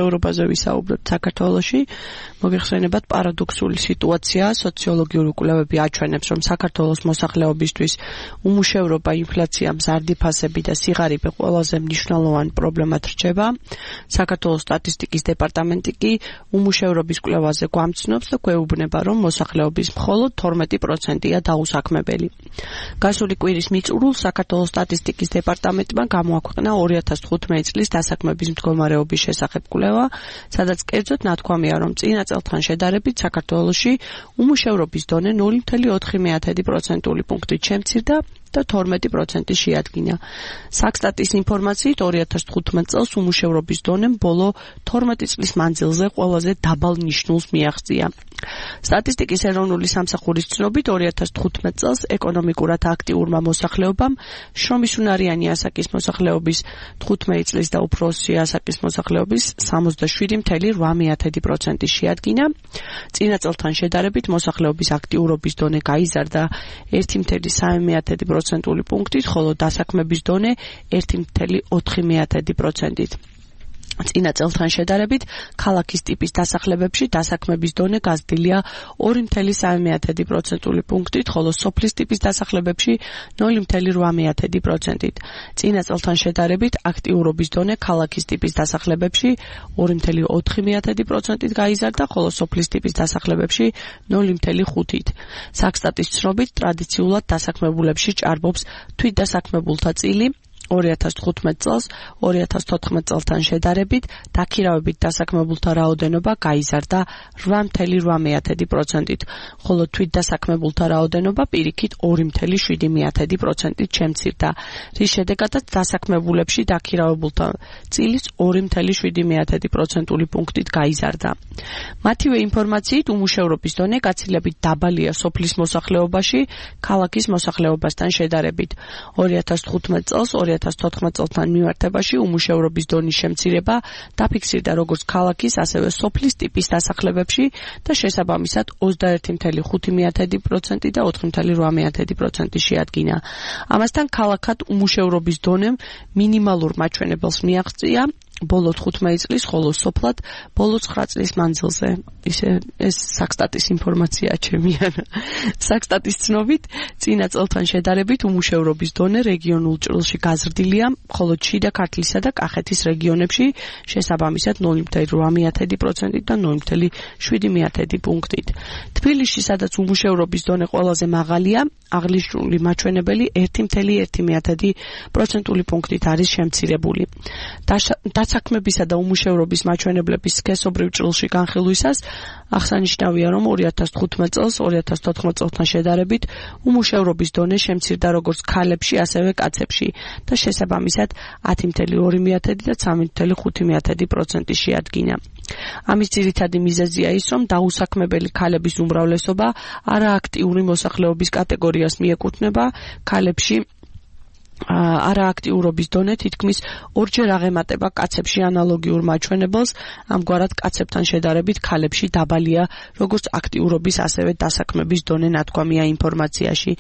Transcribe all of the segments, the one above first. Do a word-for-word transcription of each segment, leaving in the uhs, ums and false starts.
ევროპაზე ვისაუბრებთ საქართველოში, მოგეხსენებათ პარადოქსული სიტუაცია, სოციოლოგიური კვლევები აჩვენებს, რომ საქართველოს მოსახლეობისთვის უმუშევრობა, ინფლაცია, მზარდი ფასები და სიღარიბე ყველაზე მნიშვნელოვანი პრობლემად რჩება. საქართველოს სტატისტიკის დეპარტამენტი კი უმუშევრობის კვლევაზე გვამცნობს და გვეუბნება, რომ მოსახლეობის მხოლოდ თორმეტი პროცენტია დაუსაქმებელი. გასული კვირის მიწურულს საქართველოს სტატისტიკის დეპარტამენტმა გამოაქვეყნა ორი ათას თხუთმეტი წლის დასაქმების მდგომარეობის შესახებ კვლევა, სადაც კერძოდ ნათქვამია, რომ წინა წელთან შედარებით საქართველოში უმუშევრობის დონე ნული ფاصლე ოთხი პროცენტული პუნქტით შემცირდა და თორმეტი პროცენტი შეადგინა. საქსტატის ინფორმაციით ორი ათას თხუთმეტ წელს უმუშევრობის დონემ ბოლო თორმეტი წლის მანძილზე ყველაზე დაბალ ნიშნულს მიაღწია. სტატისტიკის ეროვნული სამსახურის ცნობით ორი ათას თხუთმეტ წელს ეკონომიკურად აქტიურმა მოსახლეობამ შრომისუნარიანი ასაკის მოსახლეობის თხუთმეტი წლის და უფროსი ასაკის მოსახლეობის სამოცდაშვიდი ფაصლე რვა პროცენტი შეადგინა. წინა წელთან შედარებით მოსახლეობის აქტიურობის დონე გაიზარდა ერთი ფაصლე სამი პროცენტული პუნქტით, ხოლო დასაქმების დონე ერთი ფაصლე ოთხი პროცენტით. წინა წელთან შედარებით ქალაქის ტიპის დასახლებებში დასაქმების დონე გაზრდილია ორი ფაصლე სამი პროცენტული პუნქტით, ხოლო სოფლის ტიპის დასახლებებში ნული ფაصლე რვა პროცენტით. წინა წელთან შედარებით აქტიურობის დონე ქალაქის ტიპის დასახლებებში ორი ფაصლე ოთხი პროცენტით გაიზარდა, ხოლო სოფლის ტიპის დასახლებებში ნული ფაصლე ხუთით. საქსტატის ცნობით ტრადიციულად დასაქმებულებში ჭარბობს თვითდასაქმებულთა წილი. ორი ათას თხუთმეტ წელს ორი ათას თოთხმეტ წელთან შედარებით დაქირავებით დასაქმებულთა რაოდენობა გაიზარდა რვა ფაصლე რვა პროცენტით, ხოლო თვითდასაქმებულთა რაოდენობა პირიქით ორი ფაصლე შვიდი პროცენტით შემცირდა, რის შედეგადაც დასაქმებულებში დაქირავებულთა წილის ორი ფაصლე შვიდი პროცენტული პუნქტით გაიზარდა. მათივე ინფორმაციით უმუშევრობის დონე გაცილებით დაბალია სოფლის მოსახლეობაში ქალაქის მოსახლეობასთან შედარებით. ორი ათას თხუთმეტ წელს ორი ათას თოთხმეტ წელთან მიმართებაში უმუშევრობის დონის შემცირება დაფიქსირდა როგორც ქალაქის, ასევე სოფლის ტიპის დასახლებებში და შესაბამისად ოცდაერთი ფაصლე ხუთი პროცენტი და ოთხი ფაصლე რვა პროცენტი შეადგინა. ამასთან ქალაქად უმუშევრობის დონემ მინიმალურ მაჩვენებელს მიაღწია ბოლო თხუთმეტი წლის, ხოლო სოფლად ბოლო ცხრა წლის მანძილზე. ისე ეს საქსტატის ინფორმაცია ჩემია. საქსტატის ცნობით წინა წელთან შედარებით უმუშევრობის დონე რეგიონულ ჭრილში გაზრდილია, ხოლო შიდა ქართლისა და კახეთის რეგიონებში შესაბამისად ნული ფაصლე რვა პროცენტით და ნული ფაصლე შვიდი პუნქტით. თბილისში, სადაც უმუშევრობის დონე ყველაზე მაღალია, აღნიშნული მაჩვენებელი ერთი ფაصლე ერთი პროცენტული პუნქტით არის შემცირებული. დასაქმებისა და უმუშევრობის მაჩვენებლების სქესობრივ ჭრილში განხილვისას აღსანიშნავია, რომ ორი ათას თხუთმეტ წელს ორი ათას თოთხმეტ წელთან შედარებით უმუშევრობის დონე შემცირდა როგორც ქალებში, ასევე კაცებში და შესაბამისად ათი ფაصლე ორი და სამი ფაصლე ხუთი პროცენტი შეადგინა. ამის ძირითადი მიზეზია ის, რომ დაუსაქმებელი ქალების უმრავლესობა არააქტიური მოსახლეობის კატეგორიას მიეკუთვნება. ქალებში არააქტიურობის დონე თითქმის ორჯერ აღემატება კაცებში ანალოგიურ მაჩვენებელს, ამგვარად კაცებთან შედარებით ქალებში დაბალია როგორც აქტიურობის, ასევე დასაქმების დონე ნათქვამია ინფორმაციაში.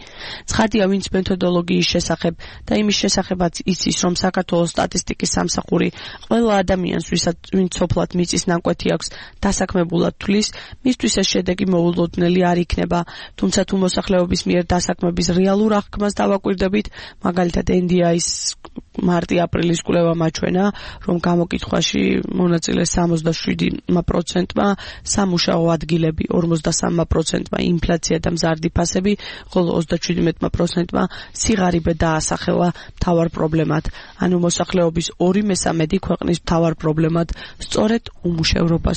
ცხადია, ვინც მეთოდოლოგიის შესახებ და იმის შესახებაც იცის, რომ საქართველოს სტატისტიკის სამსახური ყველა ადამიანს, ვინც სოფლად მიწის ნაკვეთი აქვს, დასაქმებულად თვლის, მისთვის ეს შედეგი მოულოდნელი არ იქნება, თუმცა თუ მოსახლეობის მიერ დასაქმების რეალურ აღქმას დავაკვირდებით, მაგალითად ენდიაის მარტი-აპრილის კვლევა მაჩვენა, რომ გამოკითხვაში მონაწილეს სამოცდაშვიდი პროცენტმა სამუშაო ადგილები, ორმოცდასამი პროცენტმა ინფლაცია და მზარდი ფასები, ხოლო ოცდაშვიდი პროცენტმა სიღარიბე დაასახელა მთავარ პრობლემად. ანუ მოსახლეობის ორი მესამედი ქვეყნის მთავარ პრობლემად სწორედ უმუშევრობას